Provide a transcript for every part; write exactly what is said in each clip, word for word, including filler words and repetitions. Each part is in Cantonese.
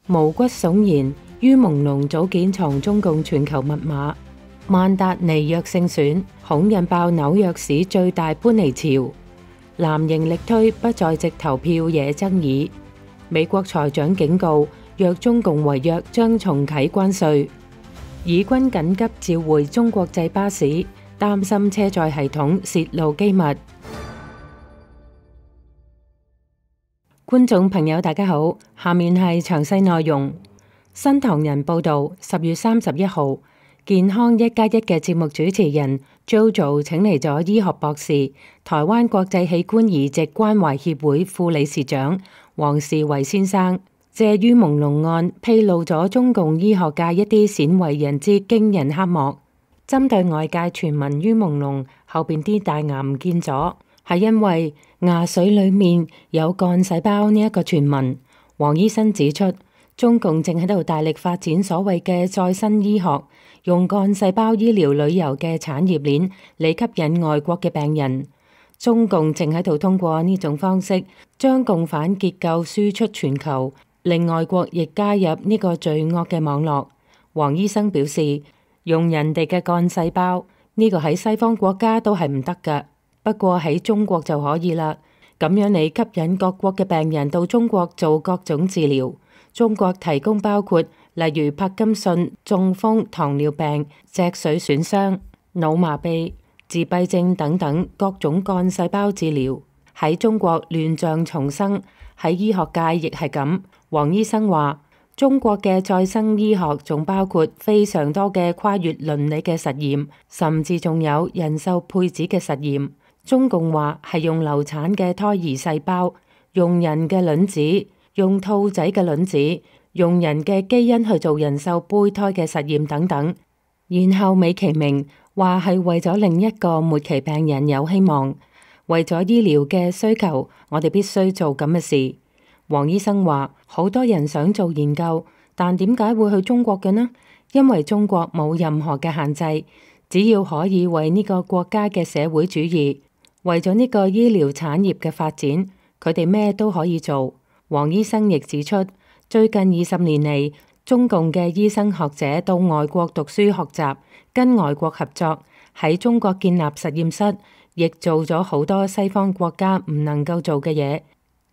毛骨悚然，於朦朧組建藏中共全球密碼。曼達尼約勝選，恐引爆紐約市最大搬離潮。藍營力推不在籍投票惹爭議。美國財長警告，若中共違約將重啟關稅。以軍緊急召回中國製巴士，擔心車載系統洩露機密。觀眾朋友大家好，下面係詳細內容。新唐人報道，十月三十一號，健康一加一嘅節目主持人 JoJo 請嚟咗醫學博士、台灣國際器官移植關懷協會副理事長黃士維先生，借於朦朧案披露咗中共醫學界一啲鮮為人知驚人黑幕。針對外界傳聞於朦朧後邊啲大牙唔見咗，係因為牙髓裏面有幹細胞呢一個傳聞。黃醫生指出，中共正喺度大力發展所謂嘅再生醫學，用幹細胞醫療旅遊嘅產業鏈嚟吸引外國嘅病人。中共正喺度通過呢種方式，將共犯結構輸出全球，令外國亦加入呢個罪惡嘅網絡。黃醫生表示，用人哋嘅幹細胞呢個喺西方國家都係唔得㗎，不過喺中國就可以啦。咁樣你吸引各國嘅病人到中國做各種治療。中國提供包括例如柏金遜、中風、糖尿病、脊髓損傷、腦麻痹、自閉症等等各種幹細胞治療。喺中國亂象叢生，喺醫學界亦係咁。黃醫生話，中國嘅再生醫學仲包括非常多嘅跨越倫理嘅實驗，甚至仲有人獸配子嘅實驗。中共話係用流產嘅胎兒細胞，用人嘅卵子，用兔仔嘅卵子，用人嘅基因去做人獸胚胎嘅實驗等等，然後美其名話係為咗另一個末期病人有希望，為咗醫療嘅需求，我哋必須做咁嘅事。黃醫生話，好多人想做研究，但點解會去中國嘅呢？因為中國冇任何嘅限制，只要可以為呢個國家嘅社會主義，為咗呢個醫療產業嘅發展，佢哋咩都可以做。黃醫生亦指出，最近二十年嚟，中共嘅醫生學者到外國讀書學習，跟外國合作，喺中國建立實驗室，亦做咗好多西方國家唔能夠做嘅嘢。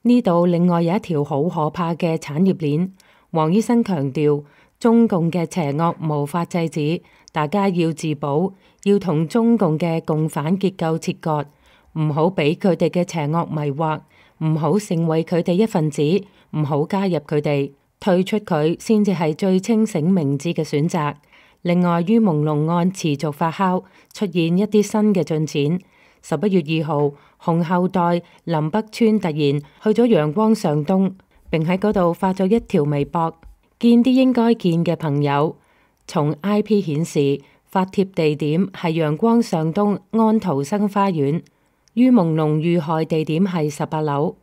呢度另外有一條好可怕嘅產業鏈。黃醫生強調，中共嘅邪惡無法制止，大家要自保，要同中共嘅共犯結構切割，唔好俾佢哋嘅邪惡迷惑，唔好成為佢哋一份子，唔好加入佢哋，退出佢先至係最清醒明智嘅選擇。另外，於朦朧案持續發酵，出現一啲新嘅進展。十一月二號，紅後代林北川突然去咗陽光上東，並喺嗰度發咗一條微博，見啲應該見嘅朋友。從 I P 顯示，發帖地點係陽光上東安徒生花園。於朦朧遇害地點係十八樓，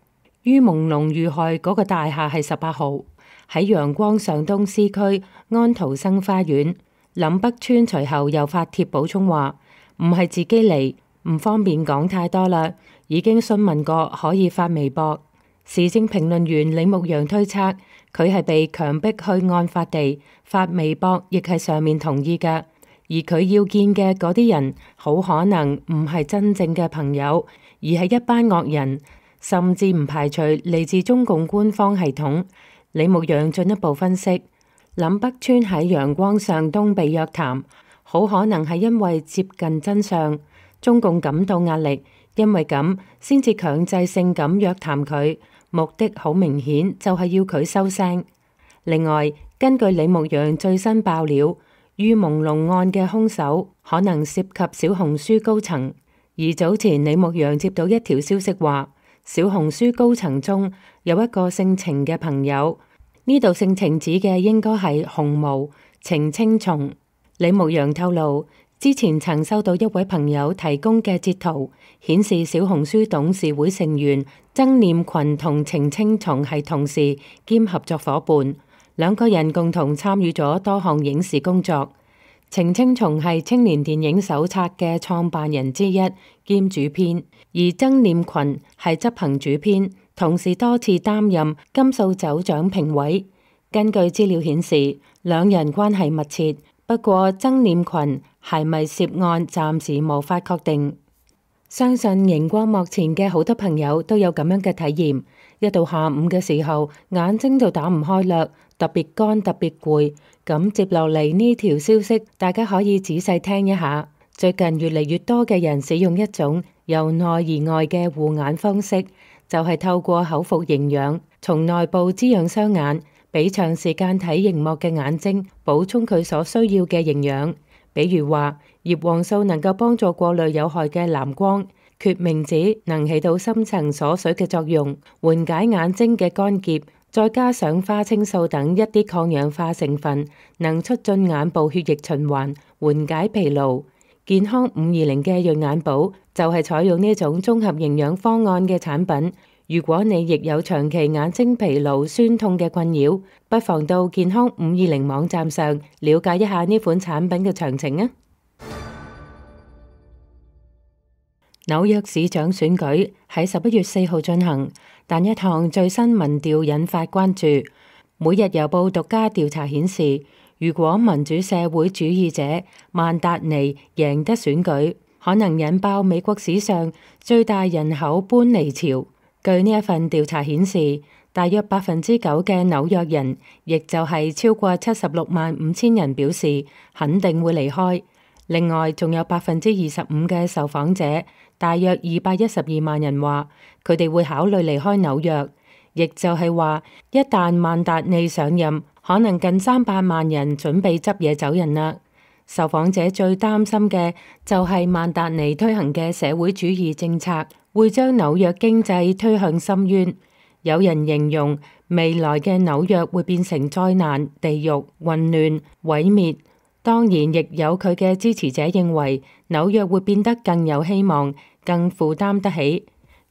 於朦朧遇害嗰個大廈係十八號，喺陽光上東 C 區安徒生花園。林北川隨後又發帖補充話，唔係自己嚟，唔方便講太多啦，已經詢問過可以發微博。時政評論員李牧陽推測，佢係被強迫去案發地發微博，亦係上面同意㗎。而佢要見嘅嗰啲人，好可能唔係真正嘅朋友，而係一班惡人，甚至唔排除嚟自中共官方系統。李牧陽進一步分析，林北川喺陽光上東被約談，好可能係因為接近真相，中共感到壓力，因為咁先至強制性咁約談佢，目的好明顯就係要佢收聲。另外，根據李牧陽最新爆料，於朦朧案嘅兇手可能涉及小紅書高層，而早前李牧陽接到一條消息話，小紅書高層中有一個姓程嘅朋友，呢度姓程指嘅應該係紅毛程青松。李牧陽透露，之前曾收到一位朋友提供嘅截圖，顯示小紅書董事會成員曾念群同程青松係同事兼合作夥伴。兩個人共同參與咗多項影視工作。程青松係青年電影手冊嘅創辦人之一兼主編，而曾念群係執行主編，同時多次擔任金素酒獎評委。根據資料顯示，兩人關係密切，不過曾念群係咪涉案，暫時無法確定。相信熒光幕前嘅好多朋友都有咁樣嘅體驗，一到下午嘅時候，眼睛就打唔開啦，特別乾，特別攰。咁接落嚟呢條消息，大家可以仔細聽一下。最近越嚟越多嘅人使用一種由內而外嘅護眼方式，就係透過口服營養，從內部滋養雙眼，俾長時間睇熒幕嘅眼睛補充佢所需要嘅營養。比如話，葉黃素能夠幫助過濾有害嘅藍光，決明子能起到深層鎖水嘅作用，緩解眼睛嘅乾澀，再加上花青素等一啲抗氧化成分，能促進眼部血液循環，緩解疲勞。健康五二零嘅潤眼寶就係採用呢種綜合營養方案嘅產品。如果你亦有長期眼睛疲勞、酸痛嘅困擾，不妨到健康五二零網站上了解一下呢款產品嘅詳情啊！紐約市長選舉喺十一月四號進行，但一項最新民調引發關注。每日郵報獨家調查顯示，如果民主社會主義者曼達尼贏得選舉，可能引爆美國史上最大人口搬離潮。據呢一份調查顯示，大約百分之九嘅紐約人，亦就係超過七十六萬五千人表示肯定會離開。另外，仲有百分之二十五嘅受訪者，大約二百一十二萬人話佢哋會考慮離開紐約。亦就係話，一旦曼達尼上任，可能近三百萬人準備執嘢走人啦。受訪者最擔心嘅就係曼達尼推行嘅社會主義政策會將紐約經濟推向深淵。有人形容未來嘅紐約會變成災難、地獄、混亂、毀滅。當然，亦有佢嘅支持者認為紐約會變得更有希望、更負擔得起。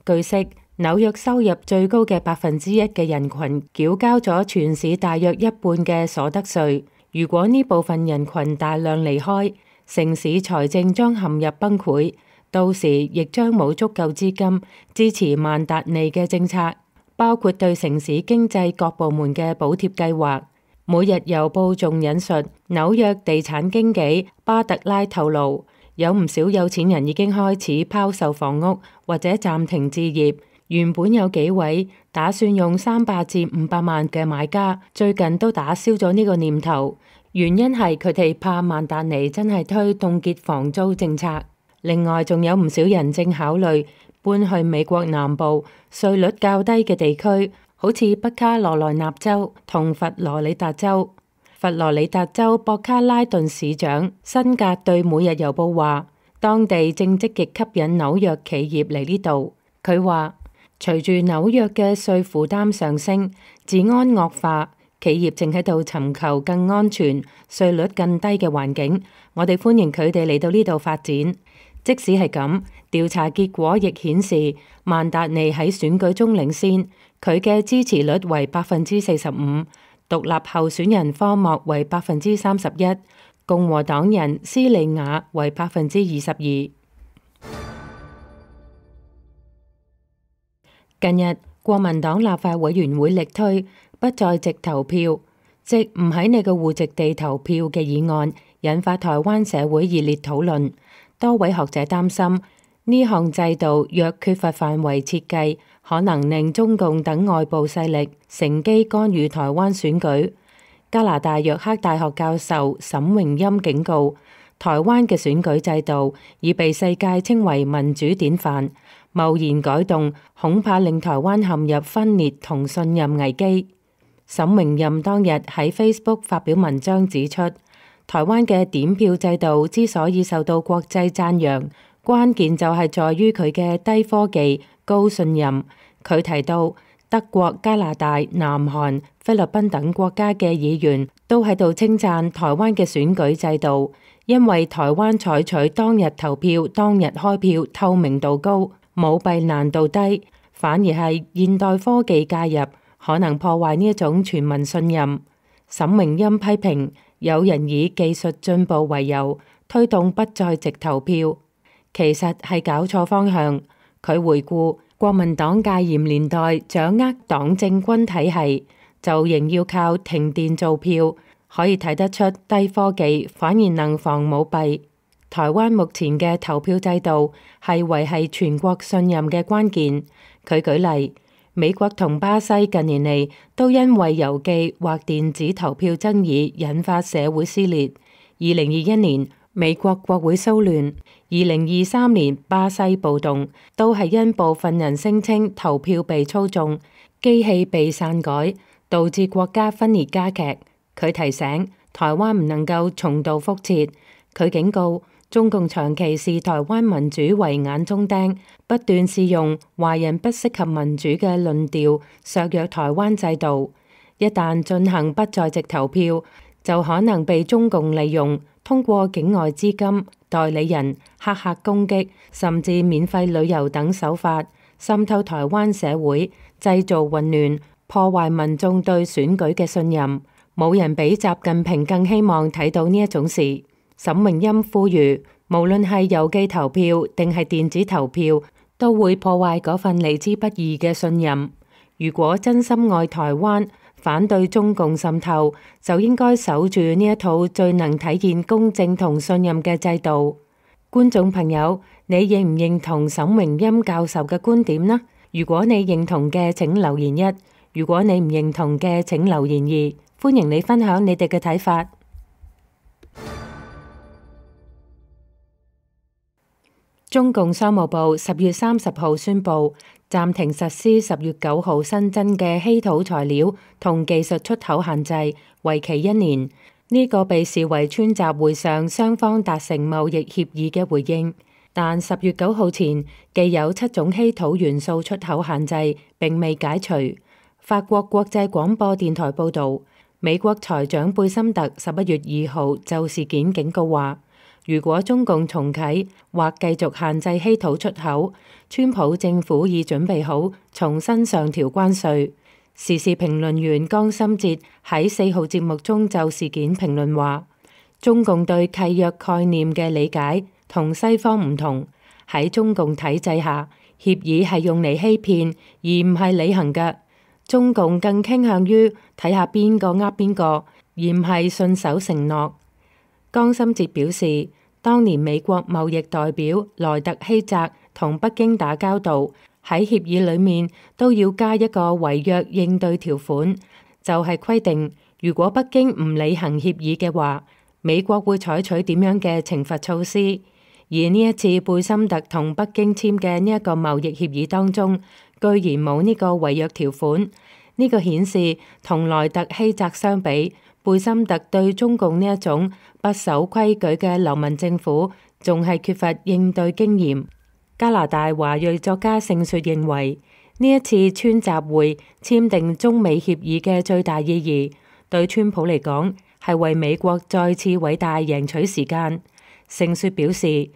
據悉，紐約收入最高嘅百分之一嘅人群繳交咗全市大約一半嘅所得稅。如果呢部分人群大量離開，城市財政將陷入崩潰，到時亦將冇足夠資金支持曼達尼嘅政策，包括對城市經濟各部門嘅補貼計劃。每日郵報仲引述紐約地產經紀巴特拉透露，有唔少有錢人已經開始拋售房屋或者暫停置業。原本有幾位打算用三百至五百萬嘅買家，最近都打消咗呢個念頭。原因係佢哋怕曼達尼真係推凍結房租政策。另外，仲有唔少人正考慮搬去美國南部稅率較低嘅地區，好似北卡羅來納州同佛羅里達州。佛羅里達州博卡拉頓市長辛格對每日郵報話，當地正積極吸引紐約企業嚟呢度。佢話，隨住紐約嘅稅負擔上升，治安惡化，企業正喺度尋求更安全、稅率更低嘅環境。我哋歡迎佢哋嚟到呢度發展。即使係咁，調查結果亦顯示曼達尼喺選舉中領先，佢嘅支持率為百分之四十五，獨立候選人科莫為百分之三十一，共和黨人斯利亞為百分之二十二。近日，國民黨立法委員會力推不在籍投票，即唔喺你嘅戶籍地投票嘅議案，引發台灣社會熱烈討論。多位學者擔心呢項制度若缺乏範圍設計，可能令中共等外部勢力乘機干預台灣選舉。加拿大約克大學教授沈榮欽警告，台灣嘅選舉制度已被世界稱為民主典範。貿然改動恐怕令台灣陷入分裂同信任危機。沈榮欽當日喺 Facebook 發表文章指出，台灣嘅點票制度之所以受到國際讚揚，關鍵就係在於佢嘅低科技、高信任。佢提到，德國、加拿大、南韓、菲律賓等國家嘅議員都喺度稱讚台灣嘅選舉制度，因為台灣採取當日投票、當日開票，透明度高，舞弊難度低，反而係現代科技介入，可能破壞呢一種全民信任。沈榮欽批評有人以技術進步為由推動不在籍投票，其實係搞錯方向。佢回顧國民黨戒嚴年代掌握黨政軍體系，就仍要靠停電做票，可以睇得出低科技反而能防舞弊。台灣目前嘅投票制度係維繫全國信任嘅關鍵。佢舉例，美國同巴西近年嚟都因為郵寄或電子投票爭議引發社會撕裂。二零二一年美國國會騷亂，二零二三年巴西暴動，都係因部分人聲稱投票被操縱、機器被篡改，導致國家分裂加劇。佢提醒台灣唔能夠重蹈覆轍。佢警告中共長期視台灣民主為眼中釘，不斷試用華人不適合民主嘅論調削弱台灣制度。一旦進行不在籍投票，就可能被中共利用，通過境外資金、代理人、黑客攻擊，甚至免費旅遊等手法滲透台灣社會，製造混亂，破壞民眾對選舉嘅信任。冇人比習近平更希望睇到呢一種事。沈榮欽呼籲，無論係郵寄投票定係電子投票，都會破壞嗰份嚟之不易嘅信任。如果真心愛台灣，反對中共滲透，就應該守住呢一套最能體現公正同信任嘅制度。觀眾朋友，你認唔認同沈榮欽教授嘅觀點呢？如果你認同嘅，請留言一；如果你唔認同嘅，請留言二。歡迎你分享你哋嘅睇法。中共商務部十月三十號宣布暫停實施十月九號新增嘅稀土材料同技術出口限制，為期一年。呢、這個被視為川習會上雙方達成貿易協議嘅回應。但十月九號前，既有七種稀土元素出口限制並未解除。法國國際廣播電台報導，美國財長貝森特十一月二號就事件警告話，如果中共重啟或繼續限制稀土出口，川普政府已準備好重新上調關稅。時事評論員江心哲喺四號節目中就事件評論話，中共對契約概念嘅理解同西方唔同，喺中共體制下，協議係用嚟欺騙而唔係履行嘅。中共更傾向於睇下邊個呃邊個，而唔係信守承諾。江心哲表示，當年美國貿易代表萊特希澤同北京打交道，喺協議裏面都要加一個違約應對條款，就係規定如果北京唔履行協議嘅話，美國會採取點樣嘅懲罰措施。而呢一次貝森特同北京簽嘅呢一個貿易協議當中，居然冇呢個違約條款。呢個顯示同萊特希澤相比，貝森特對中共呢一種不守規矩嘅流氓政府，仲係缺乏應對經驗。加拿大華裔作家盛雪認為，呢一次川習會簽訂中美協議嘅最大意義，對川普嚟講係為美國再次偉大贏取時間。盛雪表示，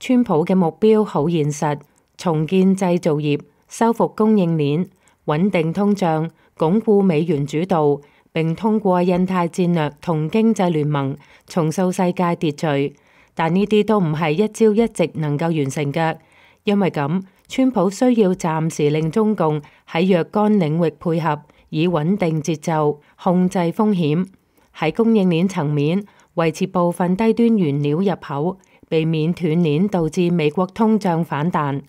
川普嘅目標好現實，重建製造業、修復供應鏈、穩定通脹、鞏固美元主導，並通過印太戰略同經濟聯盟重塑世界秩序。但呢啲都唔係一朝一夕能夠完成嘅，因為咁，川普需要暫時令中共喺若干領域配合，以穩定節奏、控制風險。喺供應鏈層面，維持部分低端原料入口，避免斷鏈導致美國通脹反彈。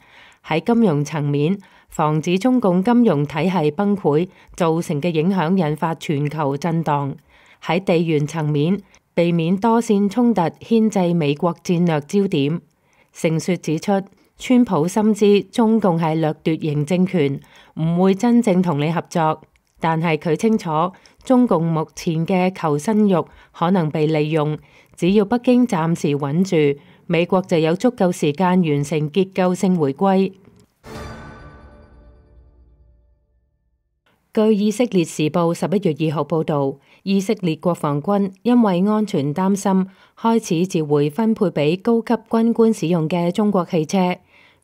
喺金融層面，防止中共金融體系崩潰造成嘅影響引發全球震盪。喺地緣層面，避免多線衝突牽制美國戰略焦點。盛雪指出，川普深知中共係掠奪型政權，唔會真正同你合作。但係佢清楚，中共目前嘅求生欲可能被利用。只要北京暫時穩住，美國就有足夠時間完成結構性回歸。據以色列時報十一月二號報導，以色列國防軍因為安全擔心，開始召回分配俾高級軍官使用嘅中國汽車。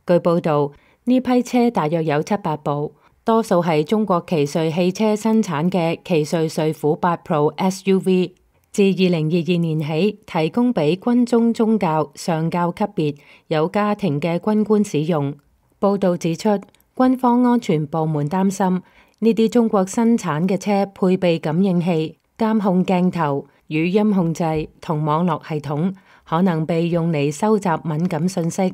據報導，呢批車大約有七百部。多數係中國奇瑞汽車生產嘅奇瑞瑞虎八 Pro S U V， 自二零二二年起提供俾軍中中校、上校級別有家庭嘅軍官使用。報導指出，軍方安全部門擔心呢啲中國生產嘅車配備感應器、監控鏡頭、語音控制同網絡系統，可能被用嚟收集敏感信息。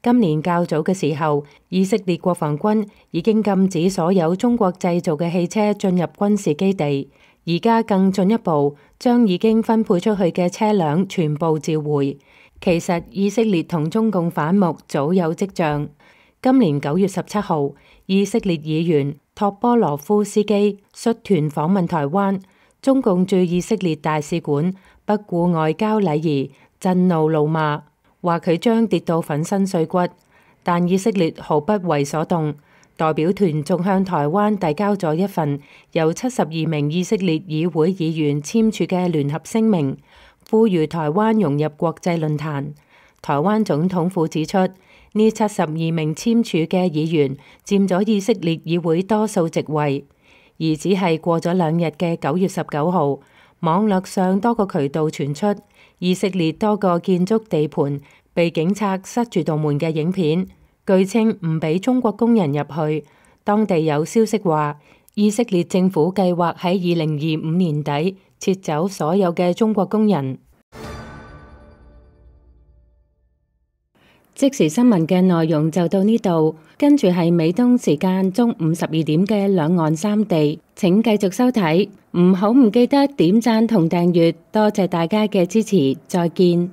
今年較早嘅時候，以色列國防軍已經禁止所有中國製造嘅汽車進入軍事基地，而家更進一步將已經分配出去嘅車輛全部召回。其實以色列同中共反目早有跡象。今年九月十七號，以色列議員托波羅夫斯基率團訪問台灣，中共駐以色列大使館不顧外交禮儀，震怒怒罵，話佢將跌到粉身碎骨。但以色列毫不為所動，代表團仲向台灣遞交咗一份由七十二名以色列議會議員簽署嘅聯合聲明，呼籲台灣融入國際論壇。台灣總統府指出，呢七十二名簽署嘅議員佔咗以色列議會多數席位，而只係過咗兩日嘅九月十九號，網絡上多個渠道傳出以色列多個建築地盤被警察塞住道門嘅影片，據稱唔俾中國工人入去。當地有消息話，以色列政府計劃喺二零二五年底撤走所有嘅中國工人。即時新聞嘅內容就到呢度，跟住係美東時間中午十二點嘅兩岸三地，請繼續收睇，唔好唔記得點讚同訂閱，多謝大家嘅支持，再見。